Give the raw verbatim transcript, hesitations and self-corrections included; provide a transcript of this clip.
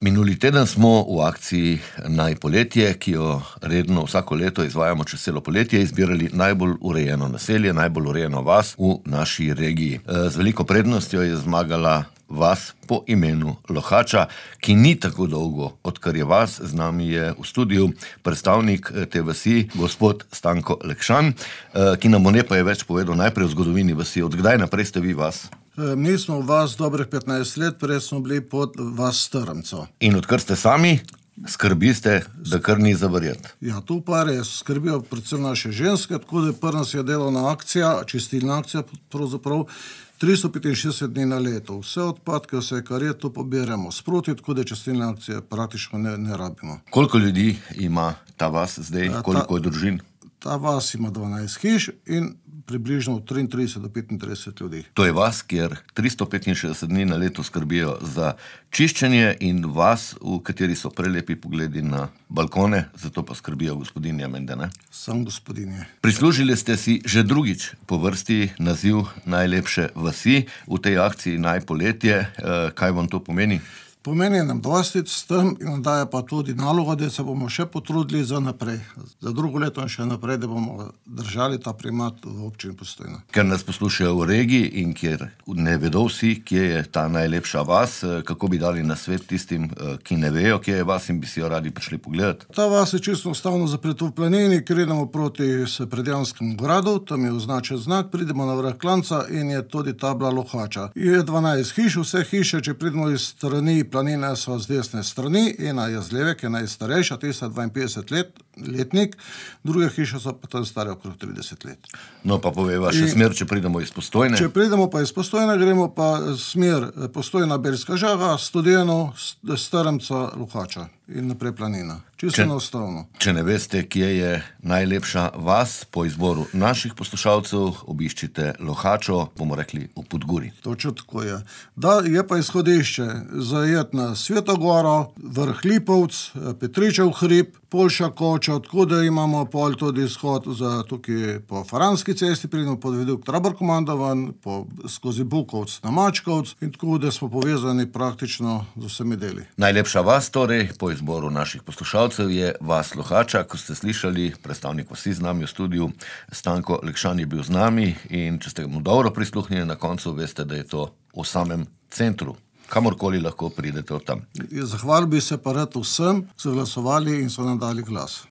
Minuli teden smo v akciji Naj poletje, ki jo redno vsako leto izvajamo čez celo poletje, izbirali najbolj urejeno naselje, najbolj urejeno vas v naši regiji. Z veliko prednostjo je zmagala vas po imenu Lohača, ki ni tako dolgo, odkar je vas. Z nami je v studiu predstavnik te vasi, gospod Stanko Lekšan, ki nam bo nekaj več povedal najprej o zgodovini vasi. Od kdaj naprej ste vi vas? Mi smo vas dobrih petnajst let, prej smo bili pod vas Strmco. In odkar ste sami, skrbiste, da kar ni za verjeti. Ja, tu pa res skrbijo predvsem naše ženske, tako da prva nas je delovna akcija, čistilna akcija pravzaprav, tristo petinšestdeset dni na leto. Vse odpadke, vse kar je, to pobiramo sproti, tako da čistilne akcije praktično ne, ne rabimo. Koliko ljudi ima ta vas zdaj, Ja, koliko ta- je družin? Ta vas ima dvanajst hiš in približno od triintrideset do petintrideset ljudi. To je vas, kjer tristo petinšestdeset dni na leto skrbijo za čiščenje, in vas, v kateri so prelepi pogledi na balkone, zato pa skrbijo gospodinje menda, ne? Sam gospodinje. Prislužili ste si že drugič po vrsti naziv najlepše vasi v tej akciji Naj poletje. Eh, Kaj vam to pomeni? Pomeni nam dosti s tem in nam daje pa tudi nalogo, da se bomo še potrudili za naprej. Za drugo leto in še naprej, da bomo držali ta primat v občini Postojna. Ker nas poslušajo v regiji in kjer ne vedo vsi, kje je ta najlepša vas, eh, kako bi dali nasvet tistim, eh, ki ne vejo, kje je vas in bi si jo radi prišli pogledati? Ta vas je čisto enostavno zapret v planini, ker idemo proti s Predjanskemu gradu, tam je označen znak, pridemo na vrh klanca in je tudi tabla Lohača. Je dvanajst hiš, vse hiše, če pridemo iz strani planine, so z desne strani, ena je z leve, ki je najstarejša, tista dvainpetdeset let, letnik, druge hiše so pa tam stare okrog trideset let. No, pa poveva še In- smer, če pridemo iz Postojne. Če pridemo pa iz Postojna, gremo pa smer eh, Postojna, Belska Žaga, Studeno, St- Strmca, Lohača in naprej planina. Čisto Če- enostavno. Če ne veste, kje je najlepša vas, po izboru naših poslušalcev obiščite Lohačo, bomo rekli v Podgori. Točno tako je. Da, je pa izhodišče zajet na Svetogoro, vrh Lipovc, Petričev hrib, Poljša Koča, tako da imamo pol tudi izhod za tukaj po Faranski cesti, pridemo pod viadukt Trabarkomandovan, po, skozi Bukovc na Mačkovc in tako da smo povezani praktično z vsemi deli. Najlepša vas torej, po izboru naših poslušalcev, je vas Lohača. Ko ste slišali, predstavnik vasi z nami v studiu, Stanko Lekšan je bil z nami, in če ste mu dobro prisluhnili na koncu, veste, da je to v samem centru. Kamorkoli lahko pridete od tam. Zahvalil bi se pa rad vsem, ki so glasovali in so nam dali glas.